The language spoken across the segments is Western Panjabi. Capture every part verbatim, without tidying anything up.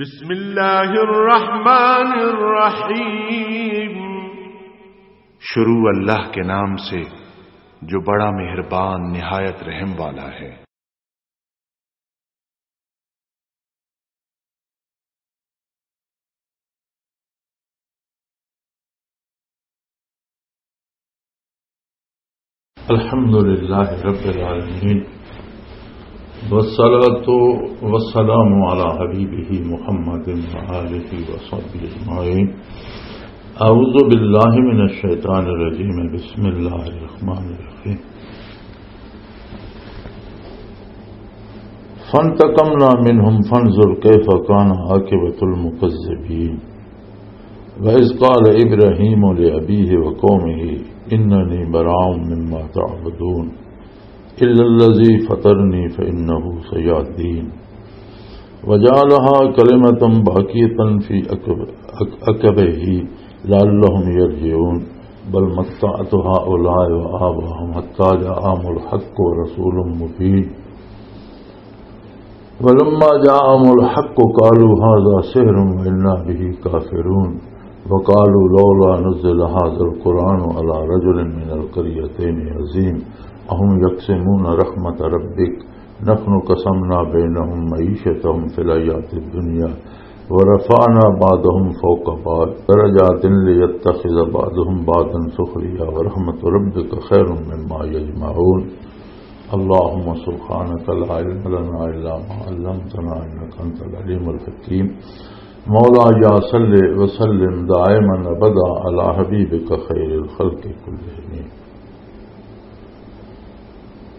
بسم اللہ الرحمن الرحیم۔ شروع اللہ کے نام سے، جو بڑا مہربان، نہایت رحم والا ہے۔ الحمد لله رب العالمين، والصلاة والسلام على حبيبه محمد وآله وصحبه أجمعين. أعوذ بالله من الشيطان الرجيم. بسم الله الرحمن الرحيم. فانتقمنا منهم فانظر كيف كان عاقبة المكذبين. وإذ قال إبراهيم لأبيه وقومه إنني براء مما تعبدون إلا الذي فطرني فإنه سيهدين. وجعلها كلمة باقية في عقب-، عق-، عقبه لعلهم يرجعون. بل متعت هؤلاء وآباءهم حتى جاءهم الحق ورسول مبين. ولما جاءهم الحق قالوا هذا سحر وإنا به كافرون. وقالوا لولا نزل هذا القرآن على رجل من القريتين عظيم. أهم يقسمون رحمة ربك؟ نحن قسمنا بينهم معيشتهم في الحياة الدنيا ورفعنا بعضهم فوق بعض درجات ليتخذ بعضهم بعضا سخريا ورحمة ربك خير مما يجمعون. اللهم سبحانك لا علم لنا إلا ما علمتنا إنك أنت العليم الحكيم. مولاي صل وسلم دائما أبدا على حبيبك خير الخلق كلهم.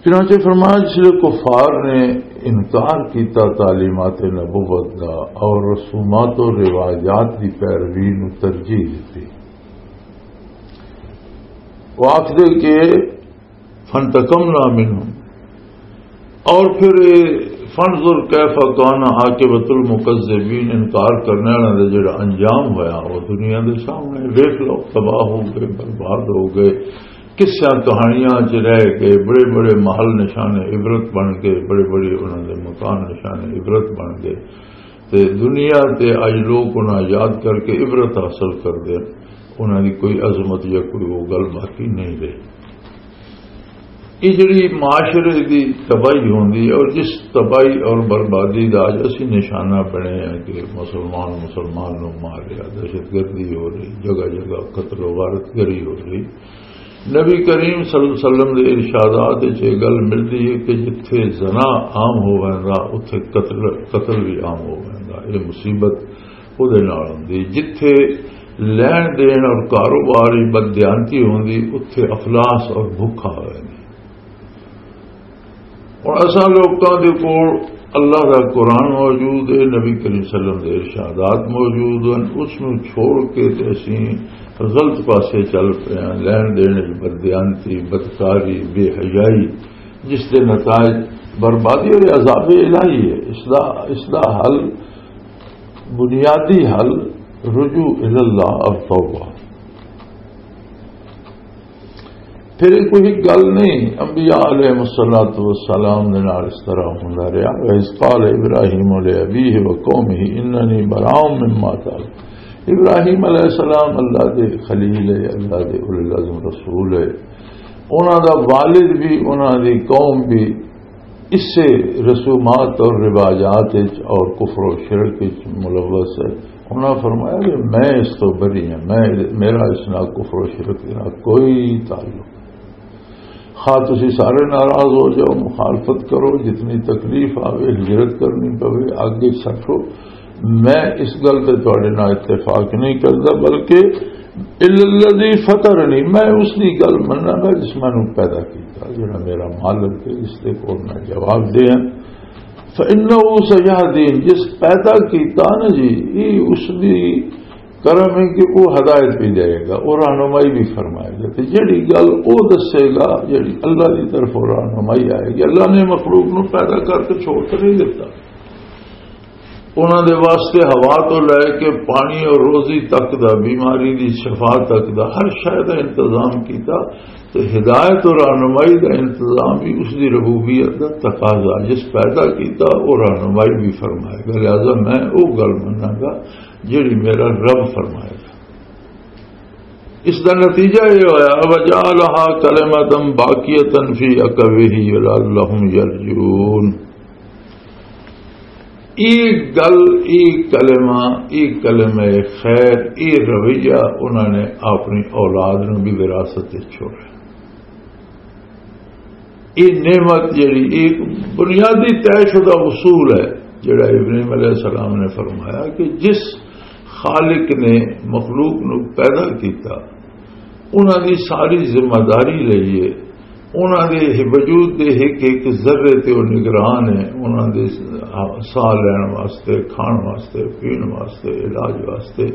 چنانچہ فرمایا، جس لئے کفار نے انکار کیتا تعلیمات نبوت دا اور رسومات و روایات دی پیروی نو ترجیح دیتی، وہ آخدے کہ فانتقمنا منهم، اور پھر یہ فانظر کیف کان عاقبۃ المکذبین، انکار کرنے والوں دا جڑا انجام ہویا، وہ دنیا دے سامنے ویکھ لو، تباہ ہو گئے، برباد ہو گئے، قصیاں کہانیاں چ رہ گئے، بڑے بڑے محل نشان عبرت بن گئے، بڑے بڑے انہاں دے مکان نشان عبرت بن گئے۔ تے دنیا تے اج لوگ انہاں یاد کر کے عبرت حاصل کردے، انہاں دی کوئی عظمت یا کوئی وہ گل باقی نہیں رہی۔ یہ جڑی معاشرے دی تباہی ہوندی ہے، اور جس تباہی اور بربادی دا اج اسی نشانہ بنے ہیں کہ مسلمان مسلمان نو مار رہا، دہشت گردی ہو رہی، جگہ جگہ قتل و غارت گری ہو رہی۔ نبی کریم صلی اللہ علیہ وسلم دے ارشادات وچ یہ گل ملدی ہے کہ جتھے زنا عام ہو ویندا، اتھے قتل، قتل بھی عام ہو ویندا۔ یہ مصیبت اودے نال ہوندی۔ جتھے لین دین اور کاروباری بددیانتی ہوندی، اتھے افلاس اور بھوک آ ویندی۔ اور اساں لوکاں دے کول اللہ دا قرآن موجود ہے، نبی کریم صلی اللہ علیہ وسلم دے ارشادات موجود ہیں، اس نوں چھوڑ کے تے اسیں غلط پاسے چل پئے ہیں۔ لین دین وچ بددیانتی، بدکاری، بے حیائی، جس دے نتائج بربادی اور عذاب الہی ہے۔ اس دا، اس دا حل بنیادی حل رجوع الی اللہ اور توبہ۔ پھر یہ کوئی گل نہیں، انبیاء علیہ الصلوۃ والسلام دے نال اس طرح ہوندا رہیا۔ وَإِذْ قَالَ إِبْرَاهِيمُ لِأَبِيهِ وَقَوْمِهِ إِنَّنِي بَرَاءٌ مِّمَّا تَعْبُدُونَ۔ ابراہیم علیہ السلام اللہ دے خلیل ہے، اللہ دے اولو العزم رسول ہے۔ انہاں دا والد بھی، انہاں دی قوم بھی اسے رسومات اور رواجات وچ اور کفر و شرک وچ ملوث ہے۔ انہاں فرمایا کہ میں اس تو بری ہاں، میں، میرا اس نال کفر و شرک دے نال کوئی تعلق نہیں۔ خواہ تسی سارے ناراض ہو جاؤ، مخالفت کرو، جتنی تکلیف آوے، ہجرت کرنی پوے، اگ وچ سٹو، میں اس گل تے تہاڈے نال اتفاق نہیں کردا، بلکہ الا الذی فطرنی، میں اس دی گل مناں گا جس مینوں پیدا کیتا، جڑا میرا مالک ہے، جس دے کول میں جواب دیاں۔ فانہ سیہدین، جس پیدا کیتا نا جی، یہ اس دی کرم ہے کہ وہ ہدایت بھی دے گا، وہ رہنمائی بھی فرمائے گا۔ تے جڑی گل وہ دسے گا، جڑی اللہ دی طرف رہنمائی آئے گی، اللہ نے مخلوق نو پیدا کر کے چھوڑ کے نہیں دیتا۔ انہاں دے واسطے ہوا تو لے کے پانی اور روزی تک دا، بیماری دی شفا تک دا، ہر شے دا انتظام کیتا۔ تے ہدایت اور رہنمائی دا انتظام بھی اس دی ربوبیت دا تقاضا، جس پیدا کیتا وہ رہنمائی بھی فرمائے گا۔ لہذا میں وہ گل مناں گا جڑی میرا رب فرمائے گا۔ اس دا نتیجہ یہ ہویا، وجعلها كلمة باقية في عقبه لعلهم يرجعون۔ یہ گل، یہ کلمہ، یہ کلمہ خیر، یہ رویہ انہوں نے اپنی اولاد نوں بھی وراثت وچ چھوڑا۔ یہ نعمت جڑی، یہ بنیادی طے شدہ اصول ہے، جڑا ابراہیم علیہ السلام نے فرمایا کہ جس خالق نے مخلوق نو پیدا کیتا، انہاں دی ساری ذمہ داری لئی ہے۔ انہاں دے وجود دے ایک ایک ذرے تے او نگران ہے۔ انہاں دے ساہ لین واسطے، کھان واسطے، پین واسطے، علاج واسطے،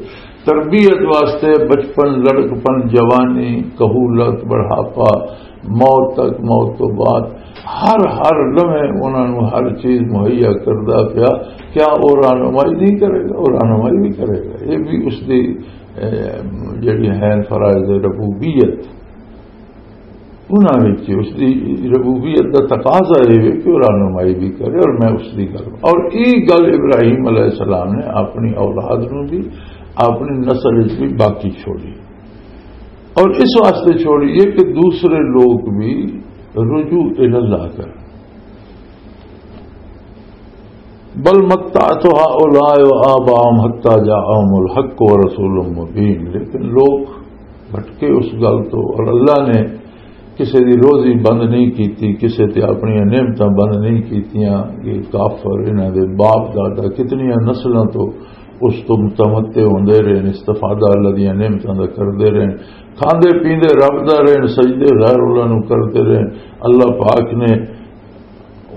تربیت واسطے، بچپن، لڑکپن، جوانی، کہولت، بڑھاپا، موت تک، موت تو بعد، ہر ہر لمحے انہاں نوں ہر چیز مہیا کردا پیا۔ کیا او رہنمائی نہیں کرے گا؟ او رہنمائی بھی کرے گا۔ یہ بھی اس دی، اے، جڑی ہے فرائض ربوبیت، انہاں وچ اس دی ربوبیت دا تقاضا یہ ہے کہ وہ رہنمائی بھی کرے اور میں اس دی گل۔ اور یہ گل ابراہیم علیہ السلام نے اپنی اولاد نوں بھی، اپنی نسل وچ بھی باقی چھوڑی۔ اور اس واسطے چھوڑی ہے کہ دوسرے لوگ بھی رجوع الی اللہ کریں۔ بل متعت هؤلاء وآباءهم حتى جاءهم الحق ورسول مبين۔ لیکن لوگ بھٹکے اس گل تو، اور اللہ نے کسے دی روزی بند نہیں کیتی، کسے تے اپنی نعمتاں بند نہیں کیتیاں۔ یہ کافر، انہاں دے باپ دادا کتنیاں نسلاں تو اس تو متمتع ہوندے رہے، استفادہ اللہ دیاں نعمتاں دا کردے رہے، کھاندے پیندے رب دا رہے، سجدے غیر اللہ نو کردے رہے۔ اللہ پاک نے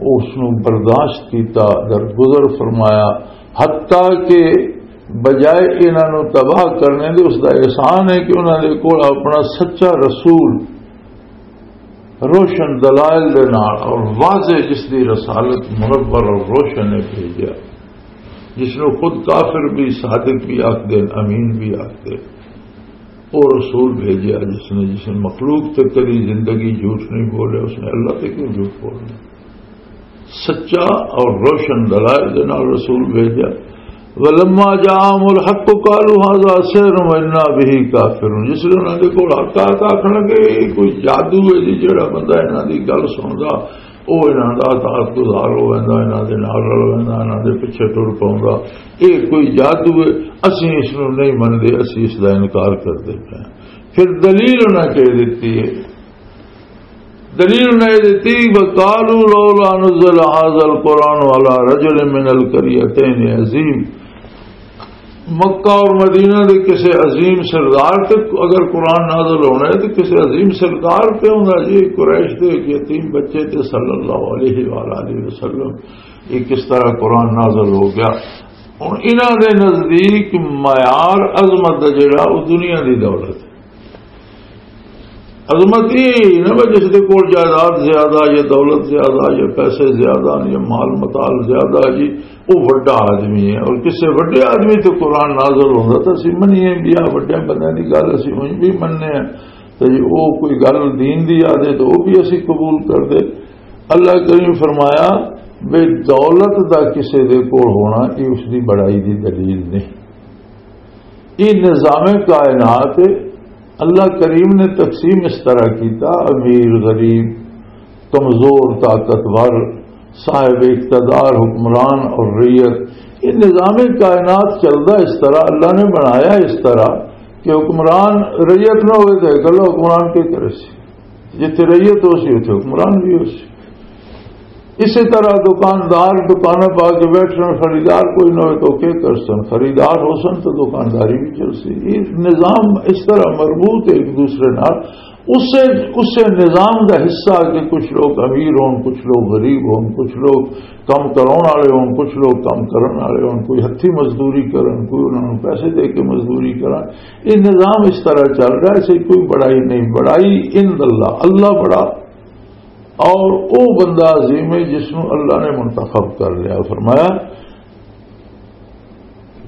اس نو برداشت کیتا، درگزر فرمایا، حتیٰ کہ بجائے انہاں نو تباہ کرنے دے، اس دا احسان ہے کہ انہاں دے کول اپنا سچا رسول روشن دلائل دے نال اور واضح، جس دی رسالت منور اور روشن ہے، بھیجا، جس نو خود کافر بھی، صادق بھی آکھ دین، امین بھی آکھ دین۔ وہ رسول بھیجا جس نے، جس نے مخلوق تے کدی زندگی جھوٹ نہیں بولے، اس نے اللہ تے کیوں جھوٹ بولنا؟ سچا اور روشن دلائل دے نال رسول بھیجا۔ ولما جاءهم الحق قالوا هذا سحر وإنا به كافرون۔ جس لے انہاں دے کول حق آیا تاں آکھن لگے، "یہ کوئی جادو ہے جی، جڑا بندہ انہاں دی گل سندا، او انہاں دا اطاعت گزار ہو ویندا، انہاں دے نال رل ویندا، انہاں دے پیچھے ٹر پوندا۔ یہ کوئی جادو ہے، اسیں اس نوں نہیں مندے، اسیں اس دا انکار کر دیندے ہیں۔" پھر دلیل انہاں کہہ دتی ہے، دلیل انہاں یہ دتی، "وقالوا لولا نزل هذا القرآن على رجل من القريتين عظيم۔" مکہ اور مدینہ دے کسے عظیم سردار تے اگر قرآن نازل ہونا ہے تو کسے عظیم سردار تے ہوندا جی، قریش دے ایک یتیم بچے تے صلی اللہ علیہ وآلہ وسلم یہ کس طرح قرآن نازل ہو گیا؟ ہن انہاں دے نزدیک معیار عظمت دا جڑا، وہ دنیا دی دولت ہے۔ عظمت یہ ہے نا، جس دے کول جائیداد زیادہ، یا دولت زیادہ، یا پیسے زیادہ، یا مال متال زیادہ جی، وہ وڈا آدمی ہے۔ اور کسے وڈے آدمی تے قرآن نازل ہوندا تو اسی منیے بھی، آ وڈے بندے دی گل اسی اونج بھی مننے ہیں۔ تو جی وہ کوئی گل دین دی آ جائے تو وہ بھی اسی قبول کر دے۔ اللہ کریم فرمایا، بے دولت دا کسے دے کول ہونا، یہ اس دی بڑائی دی دلیل نہیں۔ یہ نظام کائنات ہے۔ اللہ کریم نے تقسیم اس طرح کیتا، امیر، غریب، کمزور، طاقتور، صاحب اقتدار، حکمران اور رعیت۔ یہ نظام کائنات چلدا اس طرح، اللہ نے بنایا اس طرح کہ حکمران، رعیت نہ ہوئے تو اکلا حکمران کے کرے سی؟ جتھے رعیت ہو سی، اتھے حکمران بھی ہو سی۔ اسی طرح دکاندار دکاناں پا کے بیٹھ رہے، خریدار کوئی نہ ہوئے تو کیا کر سن؟ خریدار ہو سن تو دکانداری بھی چل سی۔ یہ نظام اس طرح مربوط ہے ایک دوسرے نال۔ اسے، اسے نظام دا حصہ کہ کچھ لوگ امیر ہون، کچھ لوگ غریب ہون، کچھ لوگ کم کراؤن والے ہون، کچھ لوگ کم کرن والے ہون، کوئی ہتھی مزدوری کرن، کوئی انہاں نوں پیسے دے کے مزدوری کرن۔ یہ نظام اس طرح چل رہا ہے، اسے کوئی بڑائی نہیں۔ بڑائی عند اللہ، اللہ بڑا اور او بندہ عظیم ہے جس نوں اللہ نے منتخب کر لیا۔ فرمایا،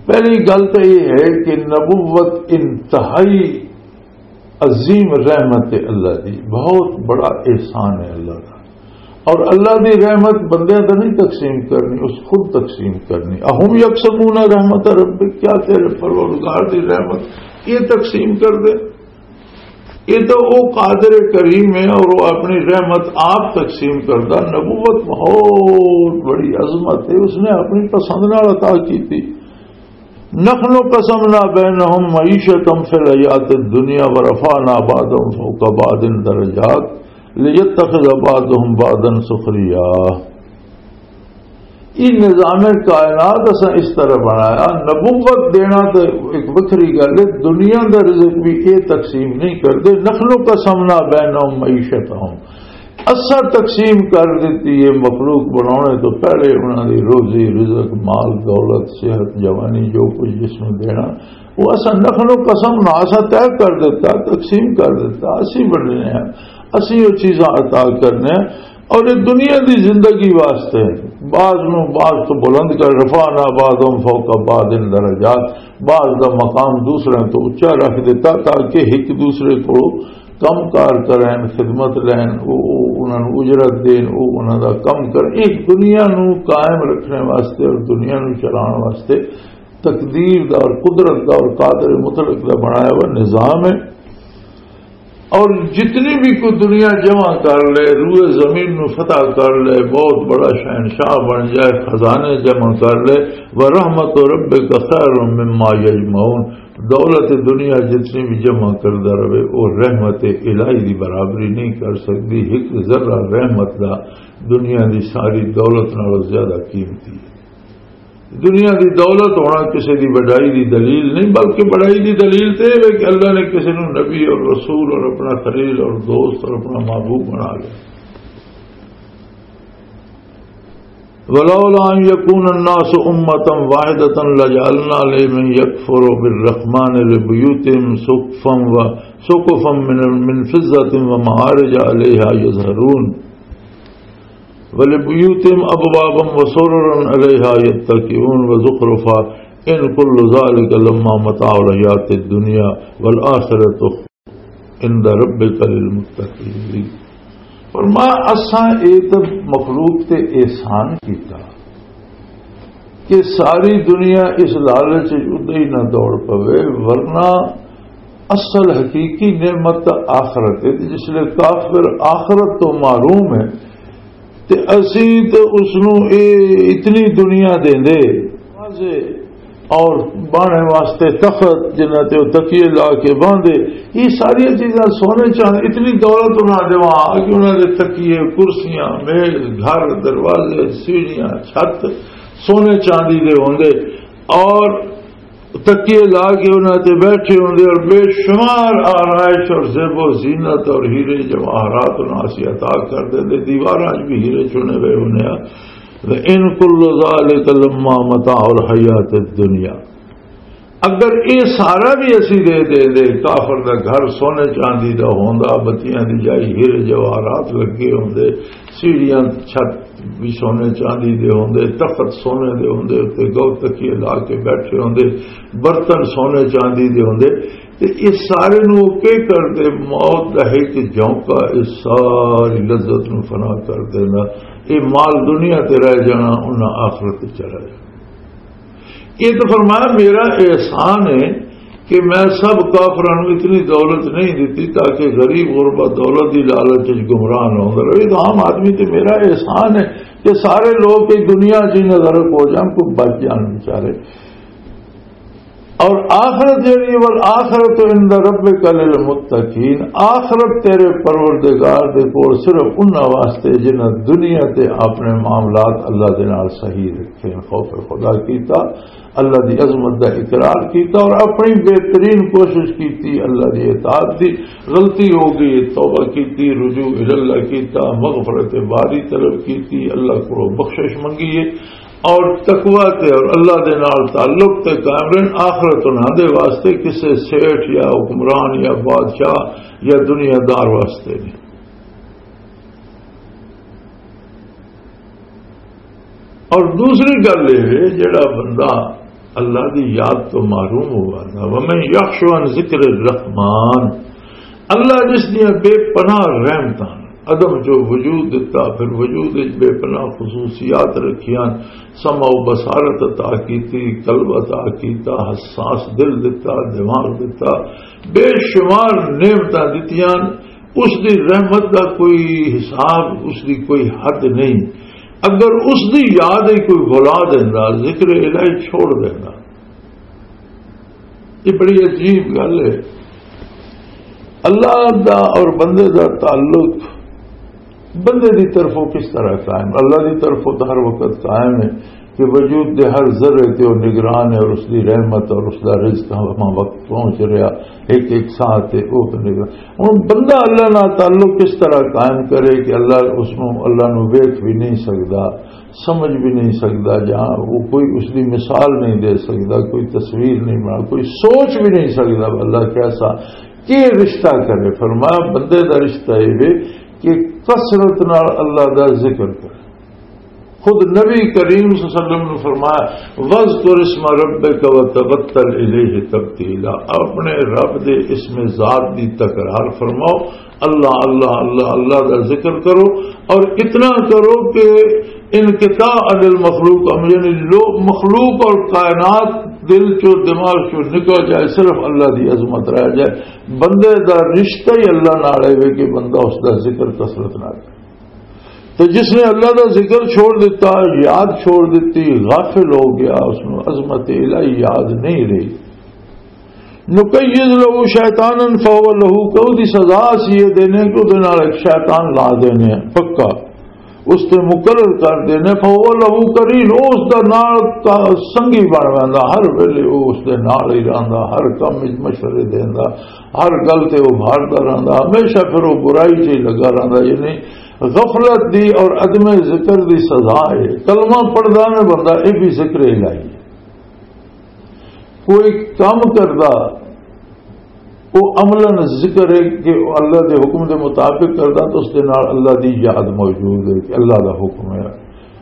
پہلی گل تو یہ ہے کہ نبوت انتہائی عظیم رحمت ہے اللہ دی، بہت بڑا احسان ہے اللہ کا۔ اور اللہ دی رحمت بندیاں تے نہیں تقسیم کرنی، اس خود تقسیم کرنی۔ اہم یکسمون رحمت رب، کیا تیرے پروردگار دی رحمت یہ تقسیم کر دے؟ یہ تو وہ قادر کریم ہے اور وہ اپنی رحمت آپ تقسیم کردا۔ نبوت بہت بڑی عظمت ہے، اس نے اپنی پسند نال عطا کی تھی۔ نحن قسمنا بینہم معیشتہم فی الحیات الدنیا ورفعنا بعضهم فوق بعض درجات لیتخذ بعضهم بعضا سخریا۔ یہ نظام کائنات اساں اس طرح بنایا۔ نبوت دینا تو ایک وکھری گل ہے، دنیا دا رزق بھی یہ تقسیم نہیں کردے۔ نحن قسمنا بینہم معیشتہم، اساں تقسیم کر دیتی ہے مخلوق بنانے تو پہلے انہاں دی روزی، رزق، مال، دولت، صحت، جوانی، جو کچھ جس میں دینا، وہ اساں نخل و قسم نہ اساں طے کر دیتا، تقسیم کر دیتا، اسی بننے ہیں، اسی وہ چیزاں عطا کرنے ہیں۔ اور یہ دنیا دی زندگی واسطے بعض نو بعض تو بلند کر، رفعنا بعضهم فوق بعض درجات، بعض دا مقام دوسرے تو اچا رکھ دیتا تاکہ ایک دوسرے کو کم کار کرن، خدمت لین، او، او انہاں نوں اجرت دین، او انہاں دا کم کرن۔ ایک دنیا نوں قائم رکھنے واسطے اور دنیا نوں چلان واسطے تقدیر دا اور قدرت دا اور قادر مطلق دا بنایا ہوا نظام ہے۔ اور جتنی بھی کوئی دنیا جمع کر لے، روئے زمین نوں فتح کر لے، بہت بڑا شہنشاہ بن جائے، خزانے جمع کر لے، ورحمت ربک خیر مما یجمعون، دولت دنیا جتنی بھی جمع کردا رہے، وہ رحمت الہی دی برابری نہیں کر سکتی۔ ایک ذرہ رحمت دا دنیا دی ساری دولت نالوں زیادہ قیمتی ہے۔ دنیا دی دولت ہونا کسی دی وڈائی دی دلیل نہیں، بلکہ وڈائی دی دلیل تے یہ ہے کہ اللہ نے کسی نوں نبی اور رسول اور اپنا خلیل اور دوست اور اپنا محبوب بنا لیا۔ ولولا ان يكون الناس امة واحدة لجعلنا لمن يكفر بالرحمن لبيوتهم سقفا و سقفا من من فضة ومعارج عليها يظهرون ولبيوتهم ابوابا وسررا عليها يتكئون وزخرفا ان كل ذلك لما متاع الحياة الدنيا والآخرة عند ربك للمتقين۔ فرمایا، اساں اے تے مخلوق تے احسان کیتا کہ ساری دنیا اس لالچ وچ ادے ہی نہ دوڑ پوے، ورنہ اصل حقیقی نعمت آخرت ہے۔ جس لئے کافر آخرت تو محروم ہے، تے اسی تے اس نوں اے اتنی دنیا دیندے، اور بانے واسطے تخت جنہاں تے او تکیے لا کے باندھے، یہ ساری چیزاں سونے چاندی، اتنی دولت انہاں دیواں کہ انہاں دے تکیے، کرسیاں، میز، گھر، دروازے، سیڑھیاں، چھت سونے چاندی دے ہوندے، اور تکیے لا کے انہاں تے بیٹھے ہوندے اور بے شمار آرائش اور زیب و زینت اور ہیرے جواہرات انہاں اسی عطا کر دے دے، دیواراں وچ بھی ہیرے چنے ہوئے ہوندے آ۔ وَإِن كُلُّ ذَلِكَ لَمَّا مَتَاعُ الْحَيَاةِ الدُّنْيَا، اگر اے سارا بھی اسی دے دے دے، کافر دا گھر سونے چاندی دا ہوندا، بتیاں دی جائی ہیرے جواہرات لگے ہوندے، سیڑھیاں چھت بھی سونے چاندی دے ہوندے، تخت سونے دے ہوندے، تے گو تکیے لا کے بیٹھے ہوندے، برتن سونے چاندی دے ہوندے، تے اس سارے نو کے کر دے؟ موت دا ایک جھونکا اس ساری لذت نو فنا کر دینا۔ اے مال دنیا تے رہ جانا، انہاں آخرت تے چلا جانا۔ یہ تو فرمایا، میرا احسان ہے کہ میں سب کافراں نوں اتنی دولت نہیں دتی تاکہ غریب غربا دولت دی لالچ وچ گمراہ نہ ہوندا رہے۔ تو عام آدمی تے میرا احسان ہے کہ سارے لوگ اس دنیا چ نظر ہو جان، کوئی بچ جان بیچارے۔ اور آخرت جڑی ہے، والآخرۃ عند ربک للمتقین، آخرت تیرے پروردگار دے کول صرف انہاں واسطے جنہاں دنیا تے اپنے معاملات اللہ دے نال صحیح رکھے، خوف خدا کیتا، اللہ دی عظمت دا اقرار کیتا اور اپنی بہترین کوشش کیتی اللہ دی اطاعت دی۔ غلطی ہو گئی، توبہ کیتی، رجوع الی اللہ کیتا، مغفرت باری طلب کیتی، اللہ کو بخشش منگی ہے اور تقوی تے اور اللہ دے نال تعلق تے قائم رہن۔ آخرت انہاں دے واسطے کسے سیٹھ یا حکمران یا بادشاہ یا دنیا دار واسطے نہیں۔ اور دوسری گل یہ ہے، جڑا بندہ اللہ دی یاد تو محروم ہوا تھا۔ ومن یخش عن ذکر الرحمان، اللہ جس دیاں بے پناہ رحمتاں، عدم چو وجود دتا، پھر وجود وچ بے پناہ خصوصیات رکھیاں، سمع و بصارت عطا کیتی، قلب عطا کیتا، حساس دل دتا، دماغ دتا، بے شمار نعمتاں دتیاں۔ اس دی رحمت دا کوئی حساب، اس دی کوئی حد نہیں۔ اگر اس دی یاد ہی کوئی بھلا دیندا، ذکر الہی چھوڑ دیندا۔ یہ بڑی عجیب گل ہے۔ اللہ دا اور بندے دا تعلق بندے دی طرفوں کس طرح قائم؟ اللہ دی طرفوں تو ہر وقت قائم ہے کہ وجود دے ہر ذرے تے وہ نگران ہے اور اس دی رحمت اور اس دا رزق ہر وقت پہنچ رہا، ایک ایک ساہ تے وہ نگران۔ ہن بندہ اللہ نال تعلق کس طرح قائم کرے کہ اللہ اس نو، اللہ نو ویکھ بھی نہیں سکدا، سمجھ بھی نہیں سکدا، جہاں وہ کوئی اس دی مثال نہیں دے سکدا، کوئی تصویر نہیں بنا، کوئی سوچ بھی نہیں سکدا اللہ کیسا، کی رشتہ کرے۔ فرمایا، بندے دا رشتہ یہ وے کہ کثرت نال اللہ دا ذکر کرے۔ خود نبی کریم صلی اللہ علیہ وسلم نے فرمایا، "وذکر اسم ربک وتبتل الیہ تبتیلا"، اپنے رب دے اسم ذات دی تکرار فرماؤ، اللہ، اللہ، اللہ، اللہ دا ذکر کرو، اور اتنا کرو کہ انقطاع عن المخلوق، یعنی لو-، مخلوق اور کائنات دل چو، دماغ چو نکل جائے، صرف اللہ دی عظمت رہ جائے۔ بندے دا رشتہ ہی اللہ نال ہے کہ بندہ اس دا ذکر کثرت نال کرے۔ تو جس نے اللہ دا ذکر چھوڑ دیتا، یاد چھوڑ دیتی، غافل ہو گیا، اس نو عظمت الہی یاد نہیں رہی۔ نقیض لہو شیطانا فہو لہو، کہ او دی سزا اسی یہ دینے کہ او دے نال ایک شیطان لا دینے ہیں، پکا اس تے مقرر کر دینے۔ فہو لہو قرین، او اس دا نال کا-، سنگی بن ویندا، ہر ویلے او اس دے نال ہی رہندا، ہر کم وچ مشورے دیندا، ہر گل تے او بھاردا رہندا، ہمیشہ پھر او برائی چ ہی لگا رہندا۔ یعنی غفلت دی اور عدم ذکر دی سزا ہے۔ کلمہ پڑھدا میں بندہ، یہ بھی ذکر الہی ہے۔ کوئی کام کردا، وہ عملاً ذکر ہے کہ وہ اللہ دے حکم دے مطابق کردا، تو اس دے نال اللہ دی یاد موجود ہے کہ اللہ دا حکم ہے،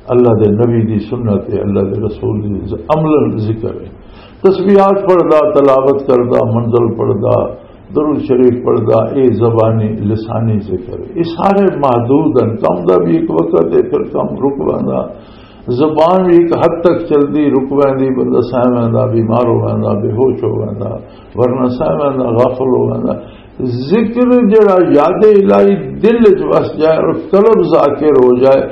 اللہ دے نبی دی سنت ہے، اللہ دے رسول دی عملاً ذکر ہے۔ تسبیحات پڑھدا، تلاوت کردا، منزل پڑھدا، درود شریف پڑھدا، اے زبانی، لسانی ذکر۔ یہ سارے محدود ہیں۔ کم دا بھی ایک وقت ہے، پھر کم رک ویندا۔ زبان بھی ایک حد تک چلدی، رک ویندی، بندہ سہ ویندا، بیمار ہو ویندا، بے ہوش ہو ویندا، ورنہ سہ ویندا، غافل ہو ویندا۔ ذکر جڑا یاد الہی دل وچ وس جائے اور قلب ذاکر ہو جائے،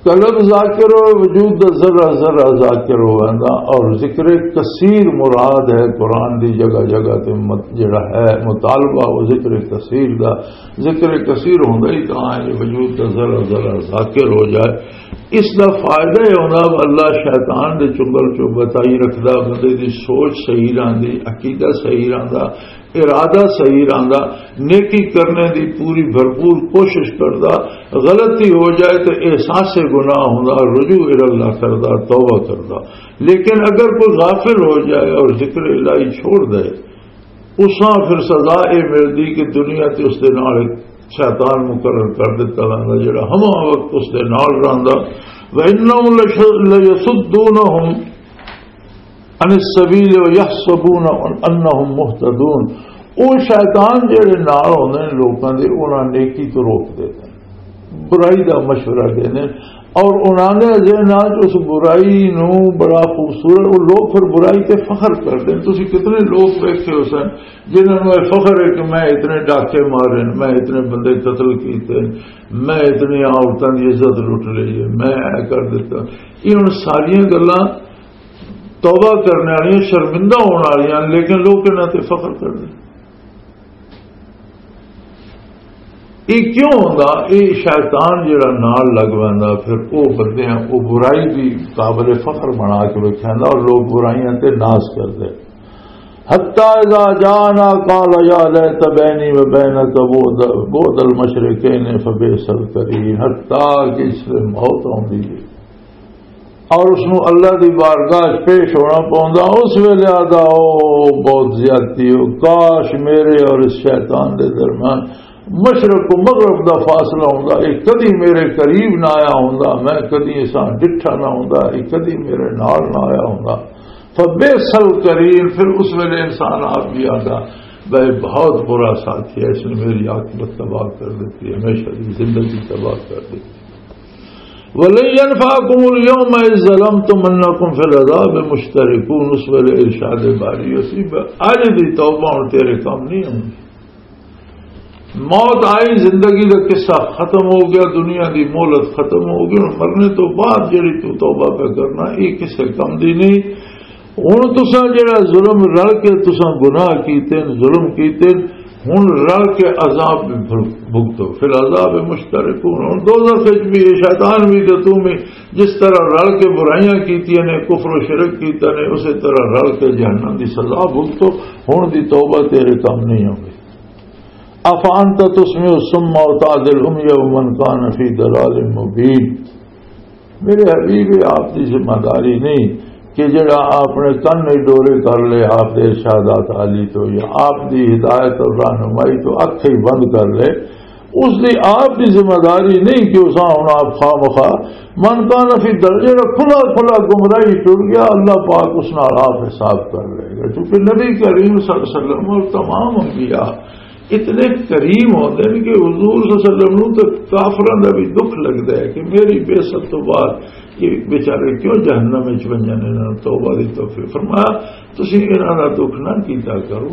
قلب ذاکر ہو، وجود دا ذرہ ذرہ ذاکر ہو ویندا، اور ذکر کثیر مراد ہے۔ قرآن دی جگہ جگہ تے مت-، جڑا ہے مطالبہ، وہ ذکر کثیر دا، ذکر کثیر ہوندا ہی تاں ہے، وجود دا ذرہ ذرہ ذاکر ہو جائے۔ اس دا فائدہ یہ ہوندا، اللہ شیطان دے چنگل چو بچائی رکھدا، بندے دی سوچ صحیح رہندی، عقیدہ صحیح رہندا، ارادہ صحیح رہندا، نیکی کرنے دی پوری بھرپور کوشش کردا، غلطی ہو جائے تو احساس گناہ ہوندا، رجوع الی اللہ کردا، توبہ کردا۔ لیکن اگر کوئی غافل ہو جائے اور ذکر الہی چھوڑ دے، اساں پھر سزا اے ملدی کہ دنیا تے اس دے نال ایک شیطان مقرر کر دیتا ویندا، جڑا ہما وقت اس دے نال رہندا۔ وَإِنَّهُمْ لَيَصُدُّونَهُمْ عن السبیل ویحسبون انہم مہتدون۔ او شیطان جڑے نال ہوندے نے لوکاں دے، انہاں نیکی تو روک دیندے نے، برائی دا مشورہ دیندے نے، اور انہاں دے ذہناں چ اس برائی نو بڑا خوبصورت، او لوگ پھر برائی تے فخر کردے نے۔ تسی کتنے لوگ ویکھے ہو سن جنہاں نوں یہ فخر ہے کہ میں اتنے ڈاکے مارے نے، میں اتنے بندے قتل کیتے نے، میں اتنی عورتاں دی عزت لٹ لئی ہے، میں اے کر دیتا۔ یہ ہن ساریاں گلاں توبہ کرنے والیاں، شرمندہ ہونے والیاں، لیکن لوگ انہاں تے فخر کردے۔ یہ کیوں ہوندا؟ یہ شیطان جڑا نال لگ ویندا، پھر او بندے ہیں، او برائی بھی قابل فخر بنا کے وکھیندا اور لوگ برائیاں تے ناز کردے۔ حتی اذا جاءنا قال یا لیت بینی و بینک بعد، بعد المشرقین فبئس القرین۔ حتی کہ اس سے موت آندی ہے اور اس نوں اللہ دی بارگاہ 'چ پیش ہونا پوندا، اس ویلے آدا، "او، بہت زیادتی ہو، کاش میرے اور اس شیطان دے درمیان مشرق و مغرب دا فاصلہ ہوندا، یہ کدی میرے قریب نہ آیا ہوندا، میں کدی اساں ڈٹھا نہ ہوندا، یہ کدی میرے نال نہ آیا ہوندا۔" فبئس القرین، پھر اس ویلے انسان آپ بھی آتا، بھائی، بہت برا ساتھی ہے، اس نے میری عاقبت تباہ کر دیتی، ہمیشہ کی زندگی تباہ کر دیتی۔ وَلَن يَنفَعَكُمُ الْيَوْمَ إِذْ ظَلَمْتُمْ أَنَّكُمْ فِي الْعَذَابِ مُشْتَرِكُونَ، اس ویلے ارشاد باری اسی، اج دی توبہ ہن تیرے کم نہیں ہونی۔ موت آئی، زندگی دا قصہ ختم ہو گیا، دنیا دی مہلت ختم ہو گئی۔ ہن مرنے تو بعد جڑی تو توبہ پہ کرنا، یہ کسے کم دی نہیں۔ ہن تساں جڑا ظلم رل کے تساں گناہ کیتے نے، ظلم کیتے نے، ہن رل کے عذاب بھی بھل-، بھگتو۔ فی العذاب مشترکون، ہن دوزخ وچ بھی، یہ شیطان بھی تے تم بھی جس طرح رل کے برائیاں کیتیاں نے، کفر و شرک کیتا نے، اسی طرح رل کے جہنم دی سزا بھگتو۔ ہن دی توبہ تیرے کم نہیں ہوگی۔ افانت تسمع الصم وتهدي العمي ومن كان في ضلال مبين۔ میرے حبیب، یہ آپ دی ذمہ داری نہیں کہ جڑا آپ نے کن ہی ڈورے کر لے آپ دے ارشادات عالی تو، یا آپ دی ہدایت اور رہنمائی تو اکھ ہی بند کر لے۔ اس دی آپ دی ذمہ داری نہیں کہ اساں ہن آپ خواہ مخواہ، من کان فی در، جڑا کھلا کھلا گمراہی ٹر گیا، اللہ پاک اس نال آپ حساب کر لے گا۔ کیونکہ نبی کریم صلی اللہ علیہ وسلم اور تمام انبیاء اتنے کریم ہوندے نے کہ حضور صلی اللہ علیہ وسلم نوں تے کافراں دا بھی دکھ لگدا ہے کہ میری بعثت تو بعد یہ بیچارے کیوں جہنم وچ ونجن، انہاں نوں توبہ دی توفیق۔ فرمایا، تسی انہاں دا دکھ نہ کیتا کرو،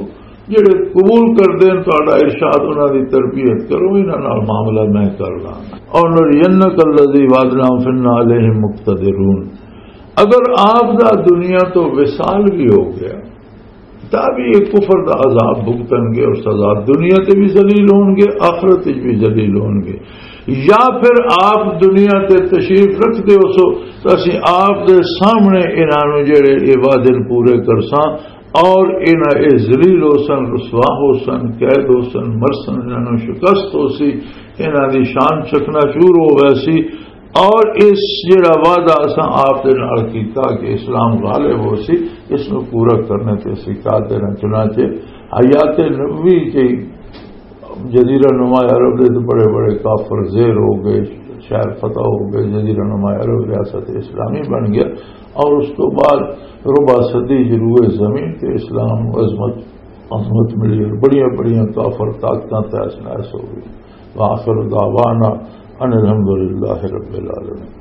جڑے قبول کردے نے تہاڈا ارشاد، انہاں دی تربیت کرو، انہاں نال معاملہ میں کر لاں۔ اور نرینک الذی وعدناہم فإنا علیہم مقتدرون۔ اگر آپ دا دنیا تو وصال بھی ہو گیا، تا بھی یہ کفر دا عذاب بھگتن گے اور سزا، دنیا تے بھی ذلیل ہون گے، آخرت وچ بھی ذلیل ہون گے۔ یا پھر آپ دنیا تے تشریف رکھتے ہو سو، تو اسی آپ دے سامنے انہاں نوں جڑے یہ وعدے پورے کرساں، اور انہاں اے ذلیل ہو سن، رسوا ہو سن، قید ہو سن، مرسن، انہاں نوں شکست ہو سی، انہاں دی شان چکنا چور ہو ویسی۔ اور اس جڑا وعدہ اساں آپ دے نال کیتا کہ اسلام غالب ہو سی، اس نوں پورا کرنے تے اسی قادر ہیں۔ چنانچہ حیات نبوی کے جزیرہ نما عرب دے تو بڑے بڑے کافر زیر ہو گئے، شہر فتح ہو گئے، جزیرہ نما عرب ریاست اسلامی بن گیا۔ اور اس تو بعد ربع صدی جو روئے زمین تے اسلام عظمت، عظمت ملی اور بڑیاں بڑیاں کافر طاقتاں تحس نحس ہو گئی۔ وآخر دعوانا ان الحمدللہ رب العالمین۔